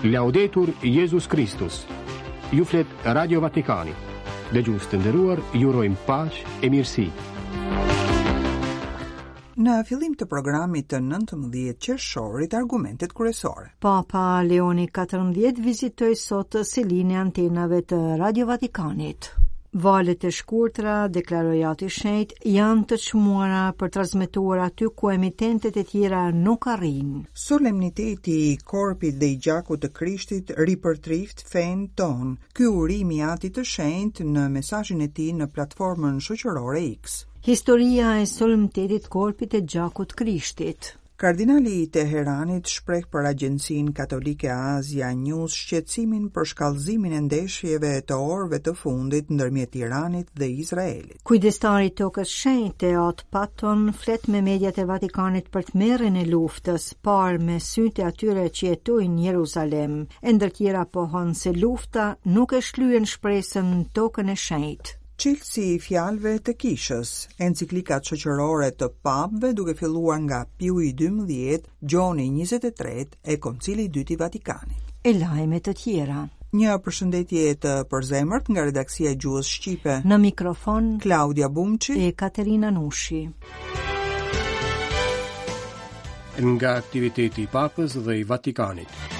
Laudetur Jezus Kristus. Ju flet Radio Vatikani. Dëgjues të nderuar, ju urojmë paqe e mirësi. Në fillim të programit të 19 qershorit, argumentet kryesore. Papa Leoni 14 vizitoi sot selinë e antenave të Radio Vatikanit. Valët e shkurtra, deklaroi Ati i Shenjtë, janë të çmuara për transmetuar aty ku emitentët e tjera nuk arrijnë. Solemniteti i korpit dhe i gjakut të Krishtit ripërtriftë fenë tonë. Ky urim i Atit të Shenjtë në mesazhin e tij në platformën shoqërore X. Historia e solemnitetit korpit e gjakut Krishtit. Kardinali i Teheranit shpreh për agjencinë katolike Asia News shqetësimin për shkallëzimin e ndeshjeve të orëve të fundit ndërmjet Iranit dhe Izraelit. Kujdestari i Tokës Shenjte, At Patton, flet me mediat e Vatikanit për tmerrin e luftës, parë me sytë e atyre që jetojnë në Jeruzalem, e ndër tjera pohon se lufta nuk e shlyen shpresën në Tokën e Shenjtë. Çelësi i fjalëve të Kishës, enciklikat shoqërore të papëve duke filluar nga Piu i XII, Gjoni i 23 e Koncili i Dytë i Vatikanit. E lajme të tjera. Një përshëndetje të përzemërt nga redaksia e Gjuhës Shqipe. Në mikrofon Klaudia Bumçi e Katerina Nushi. Nga aktiviteti i Papës dhe i Vatikanit.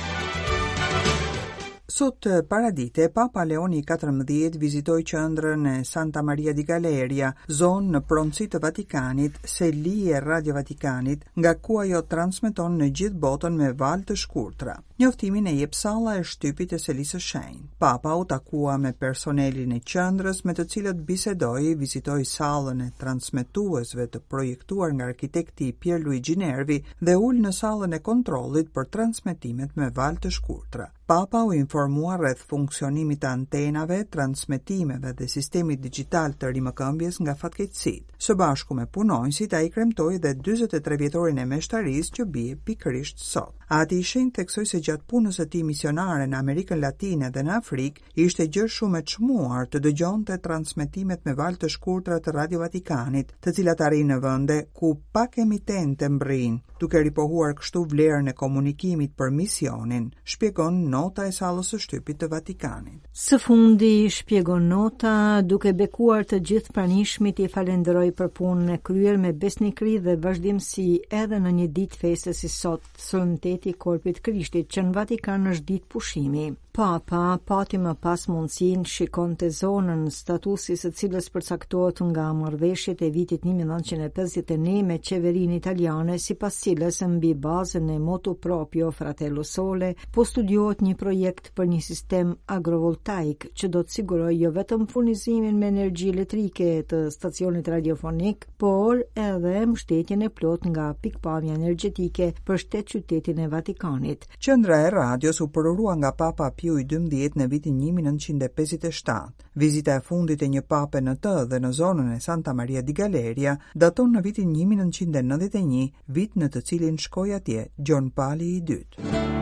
Sot paradite, Papa Leoni XIV vizitoi qendrën e Santa Maria di Galeria, zonë në pronësi të Vatikanit, seli e Radio Vatikanit, nga ku ajo transmeton në gjithë botën me valë të shkurtra. Njoftimin e jep salla e shtypit e Selisë së Shenjtë. Papa u takua me personelin e qendrës me të cilët bisedoi, vizitoi sallën e transmetuesve të projektuar nga arkitekti Pierluigi Nervi dhe u ul në sallën e kontrollit për transmetimet me valë të shkurtra. Papa u informua rreth funksionimit të antenave, transmetimeve dhe sistemit dixhital të rimëkëmbjes nga fatkeqësitë. Së bashku me punonjësit, ai kremtoi dhe 43 vjetorin e meshtarisë që bie pikërisht sot. Ati i Shenjtë theksoi se gjatë punës së tij misionare në Amerikën Latine dhe në Afrikë, ishte gjë shumë e çmuar të dëgjonte transmetimet me valë të shkurtra të Radio Vatikanit, të cilat arrijnë në vende ku pak emitente mbërrijnë, duke ripohuar kështu vlerën e komunikimit për misionin, shpjegon nota e sallës së shtypit të Vatikanit. Së fundi, shpjegon nota, duke bekuar të gjithë pranishmit i falënderoi për punën e kryer me besnikëri dhe vazhdimësi edhe në një ditë feste si sot, solemniteti i Korpit Krishtit, që në Vatikan është ditë pushimi. Papa pati më pas mundësinë shikonte zonën, statusi i së cilës përcaktohet nga marrëveshjet e vitit 1951 me qeverinë italiane, sipas cilës mbi bazën e motu proprio Fratello Sole po studiohet një projekt për një sistem agrovoltaik që do të sigurojë jo vetëm furnizimin me energji elektrike të stacionit radiofonik, por edhe mbështetjen e plotë nga pikëpamja energjetike për shtet qytetin e Vatikanit. Qendra e radios u përurua nga Papa Piu i XII në vitin 1957. Vizita e fundit e një pape në të dhe në zonën e Santa Maria di Galeria daton në vitin 1991, vit në të cilin shkoi atje Gjon Pali i II.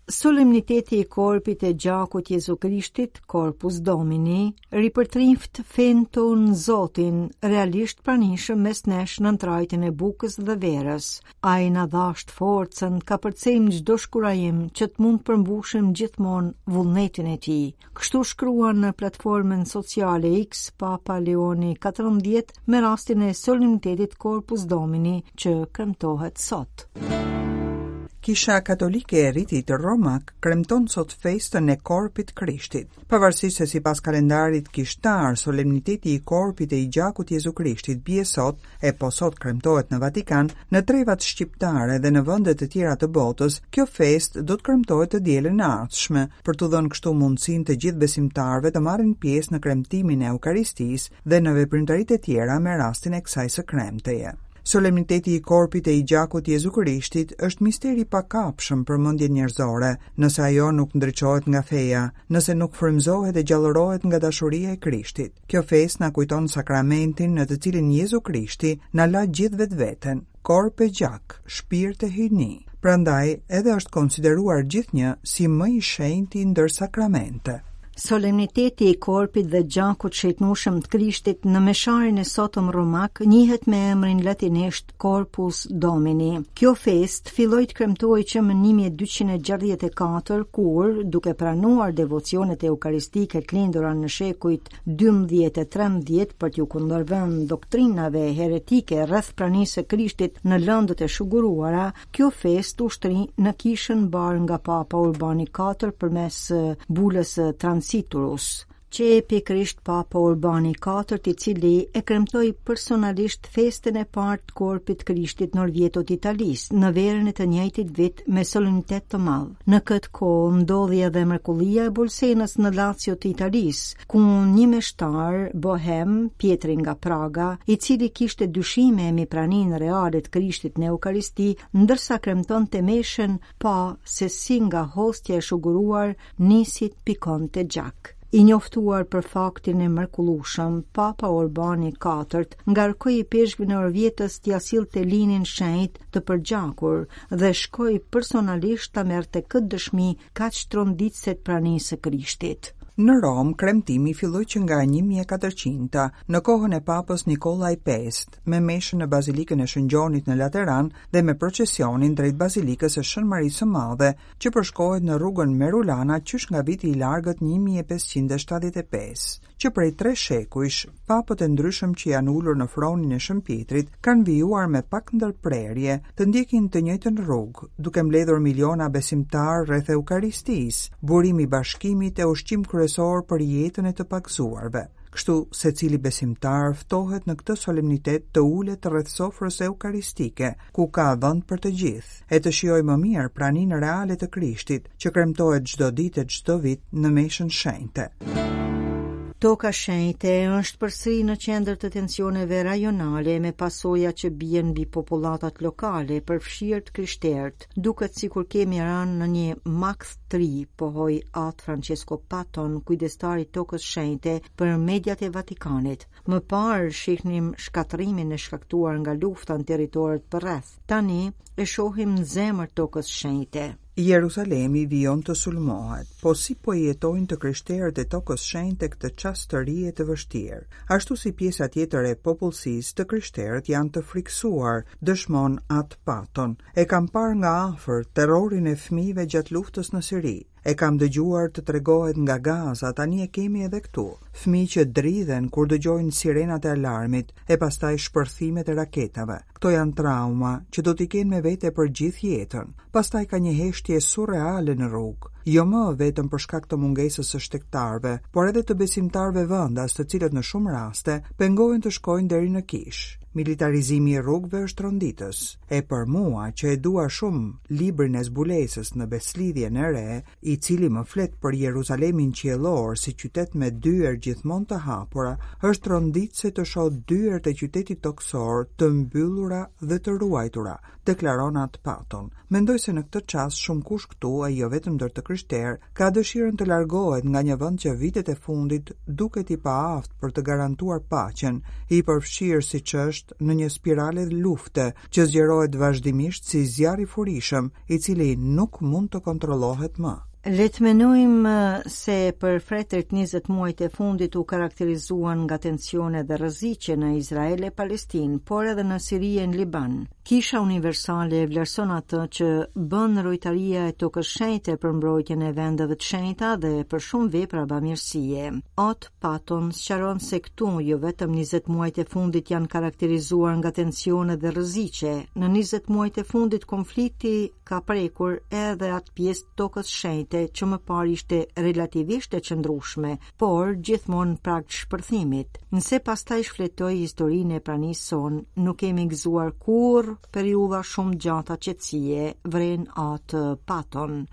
Solemniteti i korpit e gjakut Jezu Krishtit, Corpus Domini, ripërtrinft fenë tonë Zotin, realisht pranishëm mes nesh në trajtën e bukës dhe verës. Ai na dhashtë forcën, kapërcejmë çdo shkurajim që të mund të përmbushim gjithmonë vullnetin e tij. Kështu shkruan në platformën sociale X Papa Leoni 14 me rastin e solemnitetit Corpus Domini që kremtohet sot. Kisha Katolike e Ritit Romak kremton sot festën e Korpit Krishtit. Pavarësisht se sipas kalendarit kishtar, solemniteti i Korpit e i Gjakut Jezu Krishtit bie sot, e po sot kremtohet në Vatikan, në trevat shqiptare dhe në vende të tjera të botës, kjo festë do të kremtohet të dielën e ardhshme, për t'u dhënë kështu mundësinë të gjithë besimtarëve të marrin pjesë në kremtimin e Eukaristisë dhe në veprimtaritë e tjera me rastin e kësaj së kremteje. Solemniteti i korpit e i gjakut Jezu Krishtit është mister i pakapshëm për mendjen njerëzore, nëse ajo nuk ndriçohet nga feja, nëse nuk frymëzohet e gjallërohet nga dashuria e Krishtit. Kjo festë na kujton sakramentin në të cilin Jezu Krishti na la gjithë vetveten, korp e gjak, shpirt e hyjni. Prandaj edhe është konsideruar gjithnjë si më i shenjti ndër sakramente. Solemniteti i korpit dhe gjakut shenjtnueshëm të Krishtit në mesharin e sotëm romak njihet me emrin latinisht Corpus Domini. Kjo festë filloi të kremtohej që më 1264 kur, duke pranuar devocionet eukaristike të lindura në shekujt 12 e 13 për t'iu kundërvënë doktrinave heretike rreth pranisë së Krishtit në lëndët e shuguruara, Kjo festë u shtri në kishën mbarë nga Papa Urbani IV përmes bulës së Transiturus. Qe pikërisht Papa Urbani IV, i cili e kremtoi personalisht festën e parë të Korpit të Krishtit në Orvieto të Italisë, në verën e të njëjtit vit me solemnitet të madh. Në këtë kohë ndodhi edhe mrekullia e Bolsenës në Lazio të Italisë, ku një meshtar bohem, Pjetri nga Praga, i cili kishte dyshime mbi praninë reale të Krishtit në Eukaristi, ndërsa kremtonte meshën, pa se si nga hostia e shuguruar nisi të pikonte gjak. I njoftuar për faktin e mrekullueshëm, Papa Urbani IV ngarkoi ipeshkvin e Orvietos t'ia sillte linin shenjt të përgjakur dhe shkoi personalisht ta merrte këtë dëshmi kaq tronditëse të pranisë së Krishtit. Në Romë, kremtimi filloi që nga 1400-ta, në kohën e Papës Nikolla i V, me meshën në Bazilikën e Shën Gjonit në Lateran dhe me procesionin drejt Bazilikës së Shën Marisë së Madhe, që përshkohet në rrugën Merulana qysh nga viti i largët 1575. Që prej tre shekujsh, papët e ndryshëm që janë ulur në fronin e Shën Pjetrit kanë vijuar me pak ndërprerje të ndjekin të njëjtën rrugë, duke mbledhur miliona besimtarë rreth Eukaristisë, burim i bashkimit e ushqim kryesor për jetën e të pagëzuarve. Kështu, secili besimtar ftohet në këtë solemnitet të ulet rreth sofrës eukaristike, ku ka vend për të gjithë, e të shijojë më mirë praninë reale të Krishtit, që kremtohet çdo ditë e çdo vit në meshën shenjte. Toka shenjte është përsëri në qendër të tensioneve rajonale me pasoja që bien mbi popullatat lokale, përfshirë të krishterët. Duket sikur kemi rënë në një makth të ri, pohoi At Francesco Patton, kujdestar i Tokës Shenjte për mediat e Vatikanit. Më parë shihnim shkatërrimin e shkaktuar nga lufta në territoret përreth. Tani e shohim në zemër të Tokës Shenjte. Jeruzalemi vijon të sulmohet, po si po e jetojnë të krishterët e Tokës Shenjte këtë çast të ri e të vështirë? Ashtu si pjesa tjetër e popullsisë, të krishterët janë të frikësuar, dëshmon At Patton. E kam parë nga afër terrorin e fëmijëve gjatë luftës në Siri. E kam dëgjuar të tregohet nga Gaza, tani e kemi edhe këtu. Fëmijë që dridhen kur dëgjojnë sirenat e alarmit e pastaj shpërthimet e raketave. Këto janë trauma që do t'i kenë me vete për gjithë jetën. Pastaj ka një heshtje surreale në rrugë, jo më vetëm për shkak të mungesës së shtegtarëve, por edhe të besimtarëve vendas, të cilët në shumë raste pengohen të shkojnë deri në kishë. Militarizimi i rrugëve është tronditës. E për mua, që e dua shumë librin e zbulesës në Besëlidhjen e Re, i cili më flet për Jeruzalemin qiellor si qytet me dyer gjithmonë të hapura, është tronditëse të shoh dyert e qytetit tokësor të mbyllura dhe të ruajtura, deklaron At Patton. Mendoj se në këtë çast shumëkush këtu, e jo vetëm ndër të krishterë, ka dëshirën të largohet nga një vend që vitet e fundit duket i paaftë për të garantuar paqen, i përfshirë siç është në një spirale lufte që zgjerohet vazhdimisht si zjarr i furishëm, i cili nuk mund të kontrollohet më. Le të mendojmë se për fretërit 20 muajt e fundit u karakterizuan nga tensione dhe rreziqe në Izrael e Palestinë, por edhe në Siri e në Liban. Kisha Universale e vlerëson atë që bën rojtaria e Tokës Shenjte për mbrojtjen e vendeve të shenjta dhe për shumë vepra bamirësie. At Patton sqaron se këtu jo vetëm 20 muajt e fundit janë karakterizuar nga tensione dhe rreziqe. Në 20 muajt e fundit konflikti ka prekur edhe atë pjesë të Tokës Shenjte që më parë ishte relativisht e qëndrueshme, por gjithmonë në prag të shpërthimit. Nëse pastaj shfletoj historinë e pranisë sonë, nuk kemi gëzuar kurrë periudha shumë të gjata qetësie, vren At Patton.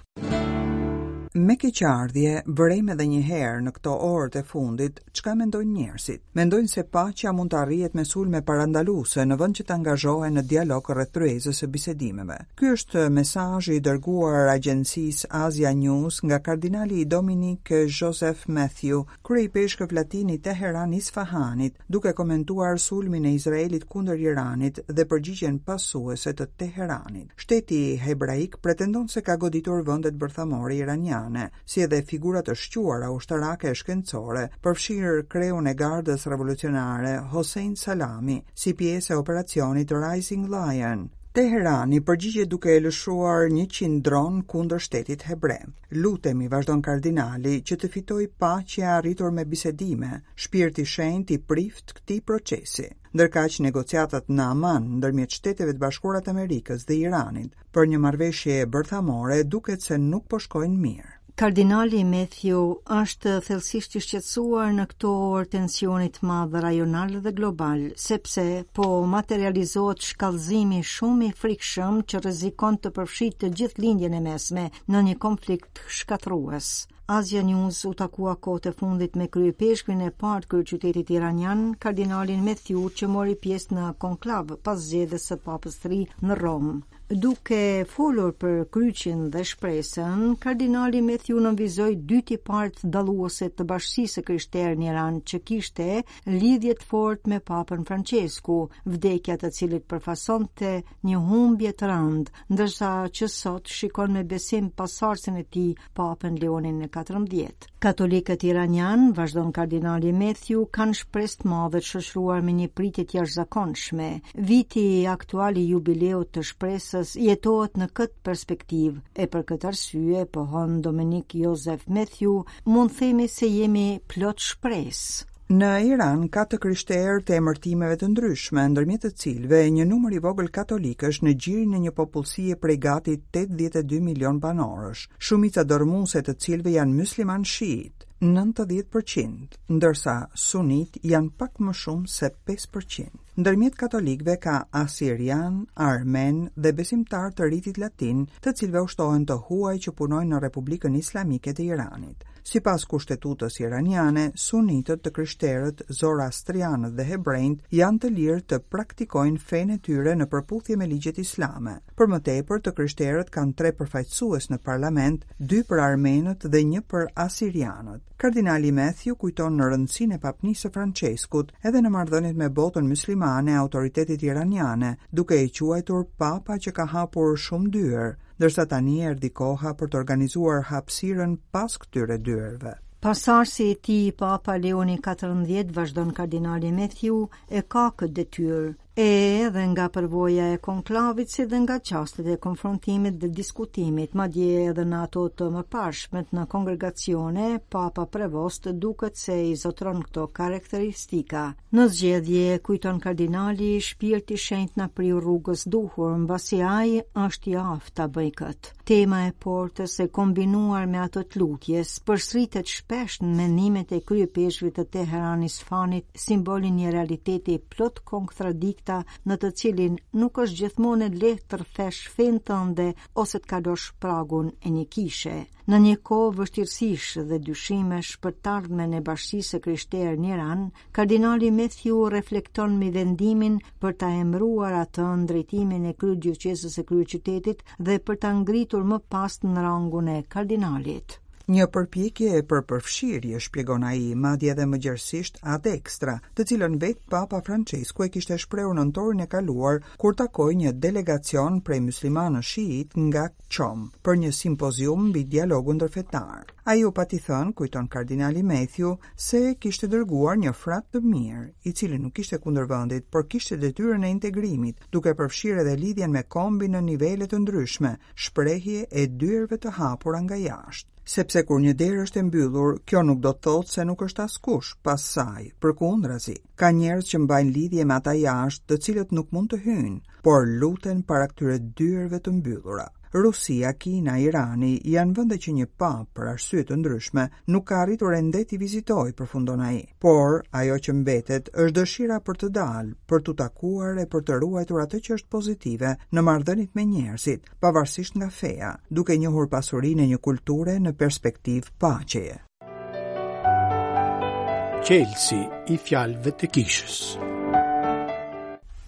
Me keqardhje, vërejmë edhe një herë në këto orët e fundit çka mendojnë njerëzit. Mendojnë se paqja mund të arrihet me sulme parandaluese në vend që të angazhohen në dialog rreth tryezës së bisedimeve. Ky është mesazhi i dërguar agjencisë Asia News nga kardinali Dominic Joseph Matthew, kryeipeshkëv latin i Teheran Isfahanit, duke komentuar sulmin e Izraelit kundër Iranit dhe përgjigjen pasuese të Teheranit. Shteti hebraik pretendon se ka goditur vendet bërthamore iraniane. iraniane, si edhe figura të shquara ushtarake e shkencore, përfshirë kreun e Gardës Revolucionare, Hossein Salami, si pjesë e operacionit Rising Lion. Teherani përgjigjet duke e lëshuar 100 dronë kundër shtetit hebre. Lutemi, vazhdon kardinali, që të fitojë paqja e arritur me bisedime, Shpirti i Shenjtë i priftë këtij procesi. Ndërkaq, negociatat në Aman ndërmjet Shteteve të Bashkuara të Amerikës dhe Iranit për një marrëveshje bërthamore duket se nuk po shkojnë mirë. Kardinali Matthew është thellësisht i shqetësuar në këto orë tensioni të madh rajonal dhe global, sepse po materializohet shkallëzimi shumë i frikshëm që rrezikon të përfshijë të gjithë Lindjen e Mesme në një konflikt shkatërrues. Asia News u takua kohët e fundit me kryeipeshkvin e parë të kryeqytetit iranian, kardinalin Matthew, që mori pjesë në konklav pas zgjedhjes së papës të ri në Romë. Duke folur për kryqin dhe shpresën, kardinali Matthew nënvizoi dy tiparet dalluese të bashkësisë së krishterë në Iran që kishte lidhje të fortë me Papën Francesku, vdekja e të cilit përfaqësonte një humbje të rëndë, ndërsa që sot shikon me besim pasardhësin e tij, Papën Leonin e 14. Katolikët iranianë, vazhdon kardinali Matthew, kanë shpresë të madhe të shoqëruar me një pritje të jashtëzakonshme. Viti aktual i jubileut të shpresës jetohet në këtë perspektivë, e për këtë arsye, pohon Dominik Joseph Matthew, mund themi se jemi plot shpresë. Në Iran ka të krishterë të emërtimeve të ndryshme, ndërmjet të cilëve një numër i vogël katolikësh në gjirin e një popullsie prej gati 82 milion banorësh, shumica dërrmuese e të cilëve janë myslimanë shiitë, 90%, ndërsa sunitë janë pak më shumë se 5%. Ndërmjet katolikëve ka asirianë, armenë dhe besimtarë të ritit latin, të cilëve u shtohen të huaj që punojnë në Republikën Islamike të Iranit. Sipas kushtetutës iraniane, sunitët, të krishterët, zoroastrianët dhe hebrenjtë janë të lirë të praktikojnë fenë e tyre në përputhje me ligjet islame. Për më tepër, të krishterët kanë tre përfaqësues në parlament, dy për armenët dhe një për asirianët. Kardinali Matthew kujton në rëndësinë e papnisë së Françeskut edhe në marrëdhëniet me botën myslimane e autoritetet iraniane, duke e quajtur papa që ka hapur shumë dyer, ndërsa tani erdhi koha për të organizuar hapësirën pas këtyre dyerve. Pasardhësi i tij, Papa Leoni XIV, vazhdon kardinali Matthew, e ka këtë detyrë. E edhe nga përvoja e konklavit si dhe nga çastet e konfrontimit dhe diskutimit, madje edhe në ato të mëparshmet në kongregacione, Papa Prevost duket se i zotëron këto karakteristika. Në zgjedhje, kujton kardinali, shpirti i shenjtë na priu rrugës duhur, mbasi ai është i aftë ta bëjë këtë. Tema e portës e kombinuar me atë të lutjes, përsëritet shpesh në mendimet e kryeipeshkvit të Teheran Isfahanit, simbol i një realiteti plot kontradikta në të cilin nuk është gjithmonë e lehtë të rrëfesh fenë tënde ose të kalosh pragun e një kishe. Në një kohë vështirësish dhe dyshimesh për të ardhmen e bashkësisë së krishterë në Iran, kardinali Matthew reflekton mbi vendimin për ta emëruar atë në drejtimin e kryedioqezës së kryeqytetit dhe për ta ngritur më pas në rangun e kardinalit. Një përpjekje për përfshirje, shpjegon ai, madje edhe më gjerësisht ad extra, të cilën vetë Papa Francesku e kishte shprehur nëntorin e kaluar kur takoi një delegacion prej myslimanësh shiitë nga Qom për një simpozium mbi dialogun ndërfetar. Ai u pati thënë, kujton kardinali Matthew, se kishte dërguar një frat të mirë, i cili nuk ishte kundër vendit, por kishte detyrën e integrimit, duke përfshirë edhe lidhjen me kombin në nivele të ndryshme, shprehje e dyerve të hapura nga jashtë. Sepse kur një derë është e mbyllur, kjo nuk do të thotë se nuk është askush pas saj, përkundrazi. Ka njerëz që mbajnë lidhje me ata jashtë, të cilët nuk mund të hyjnë, por luten para këtyre dyerve të mbyllura. Rusia, Kina, Irani janë vende që një papë për arsye të ndryshme nuk ka arritur ende t'i vizitojë, përfundon ai. Por ajo që mbetet është dëshira për të dalë, për t'u takuar e për të ruajtur atë që është pozitive në marrëdhëniet me njerëzit, pavarësisht nga feja, duke njohur pasurinë e një kulture në perspektivë paqeje. Çelësi i fjalëve të kishës.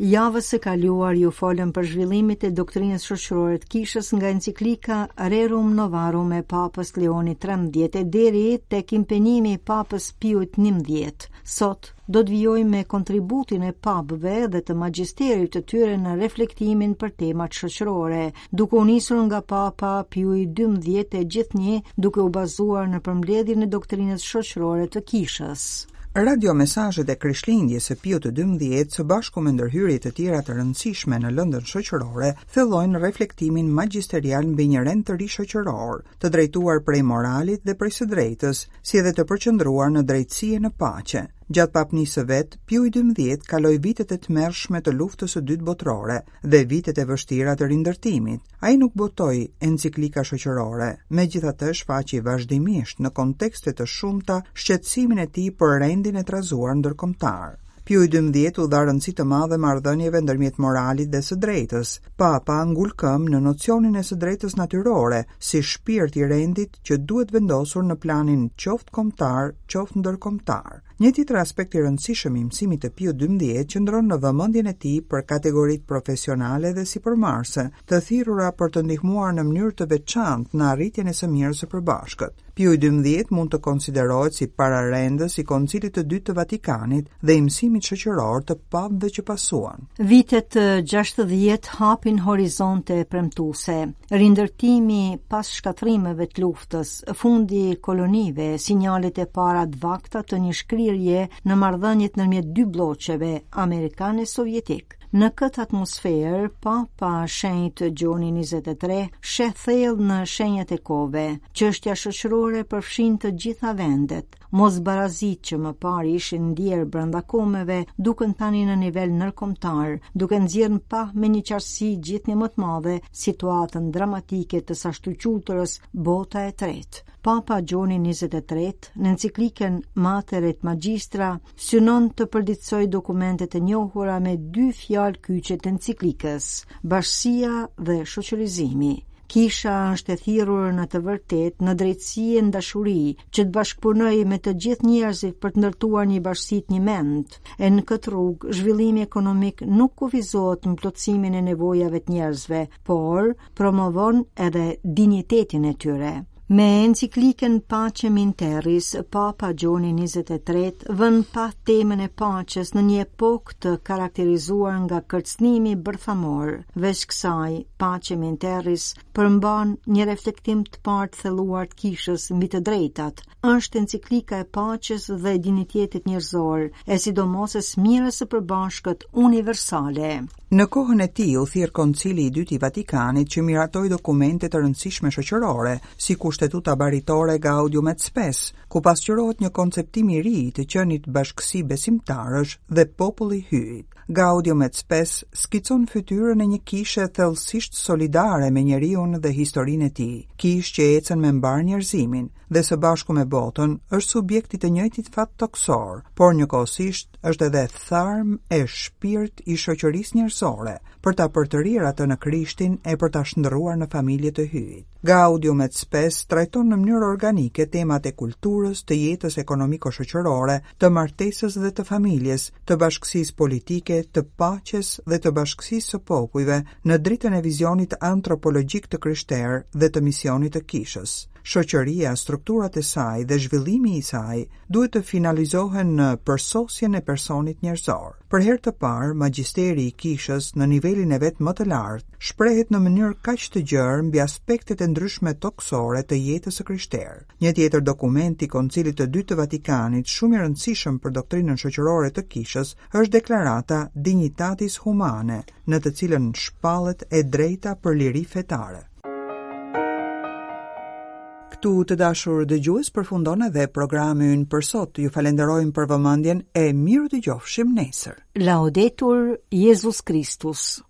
Javës së kaluar ju folëm për zhvillimet e doktrinës shoqërore të kishës nga enciklika Rerum Novarum e Papës Leoni 13 e deri tek impenjimi i Papës Piut 11. Sot do të vijojmë me kontributin e papëve dhe të magjisterit të tyre në reflektimin për temat shoqërore, duke u nisur nga Papa Piu i 12 e gjithnjë duke u bazuar në përmbledhjen e doktrinës shoqërore të kishës. Radio mesazhet e Krishtlindjes së Piut të 12 së bashku me ndërhyrje të tjera të rëndësishme në lëndën shoqërore, thellojnë reflektimin magjisterial mbi një rend të ri shoqëror, të drejtuar prej moralit dhe prej së drejtës, si edhe të përqendruar në drejtësi e në paqe. Gjatë papnisë së vet, Piu i 12 kaloi vitet e tmerrshme të luftës së dytë botërore dhe vitet e vështira të rindërtimit. Ai nuk botoi enciklika shoqërore, megjithatë shfaqi vazhdimisht në kontekste të shumta shqetësimin e tij për rendin e trazuar ndërkombëtar. Piu i 12 u dha rëndësi të madhe marrëdhënieve ndërmjet moralit dhe së drejtës. Papa ngul këmbë në nocionin e së drejtës natyrore, si shpirt i rendit që duhet vendosur në planin qoftë kombëtar, qoftë ndërkombëtar. Një tjetër aspekt i rëndësishëm i mësimit të Piut 12 qëndron në vëmendjen e tij për kategoritë profesionale dhe sipërmarrëse, të thirrura për të ndihmuar në mënyrë të veçantë në arritjen e së mirës së përbashkët. Piu i 12 mund të konsiderohet si pararendës i Koncilit të Dytë të Vatikanit dhe i mësimit shoqëror të papëve që pasuan. Vitet 60 hapin horizonte premtuese. Rindërtimi pas shkatërrimeve të luftës, fundi i kolonive, sinjalet e para të vakta të një shkrirje në marrëdhëniet ndërmjet dy blloqeve, amerikan e sovjetik. Në këtë atmosferë, Papa Shenjt Gjoni 23 sheh thellë në shenjat e kohëve. Çështja shoqërore përfshin të gjitha vendet. Mosbarazitë që më parë ishin ndjerë brenda kombeve, duken tani në nivel ndërkombëtar, duke nxjerrë në pah me një qartësi gjithnjë më të madhe situatën dramatike të së ashtuquajturës bota e tretë. Papa Gjoni 23 në enciklikën Mater et Magistra synon të përditësojë dokumentet e njohura me dy fjalë kyçe të enciklikës, bashkësia dhe shoqërizimi. Kisha është e thirrur në të vërtetë, në drejtësi e në dashuri, që të bashkëpunojë me të gjithë njerëzit për të ndërtuar një bashkësi të njëmendtë. E në këtë rrugë, zhvillimi ekonomik nuk kufizohet në plotësimin e nevojave të njerëzve, por promovon edhe dinjitetin e tyre. Me enciklikën Pacem in Terris, Papa Gjoni 23 vë në pah temën e paqes në një epokë të karakterizuar nga kërcënimi bërthamor. Veç kësaj, Pacem in Terris përmban një reflektim të parë të thelluar të kishës mbi të drejtat. Është enciklika e paqes dhe dinjitetit njerëzor, e sidomos e së mirës së përbashkët universale. Në kohën e tij u thirr Koncili i Dytë i Vatikanit që miratoi dokumente të rëndësishme shoqërore, si Kushtetuta Baritore Gaudium et Spes, ku pasqyrohet një konceptim i ri i të qenit bashkësi besimtarësh dhe popull i Hyjit. Gaudium et Spes skicon fytyrën e një kishe thellësisht solidare me njeriun dhe historinë e tij, kishë që ecën me mbarë njerëzimin dhe së bashku me botën është subjekt i të njëjtit fat tokësor, por njëkohësisht është edhe tharm e shpirt i shoqërisë njerëzore, për ta përtërirë atë në Krishtin e për ta shndërruar në familje të Hyjit. Gaudium et Spes trajton në mënyrë organike temat e kulturës, të jetës ekonomiko-shoqërore, të martesës dhe të familjes, të bashkësisë politike, të paqes dhe të bashkësisë së popujve në dritën e vizionit antropologjik të krishterë dhe të misionit të kishës. Shoqëria, strukturat e saj dhe zhvillimi i saj duhet të finalizohen në përsosjen e personit njerëzor. Për herë të parë, magjisteri i kishës në nivelin e vet më të lartë shprehet në mënyrë kaq të gjerë mbi aspektet e ndryshme tokësore të jetës së krishterë. Një tjetër dokument i Koncilit të Dytë të Vatikanit, shumë i rëndësishëm për doktrinën shoqërore të kishës, është deklarata Dignitatis Humanae, në të cilën shpallet e drejta për liri fetare. Këtu të dashur dëgjues përfundon edhe programi ynë për sot. Ju falenderojmë për vëmendjen e mirudëgjofshim nesër. Laudetur Jezus Kristus.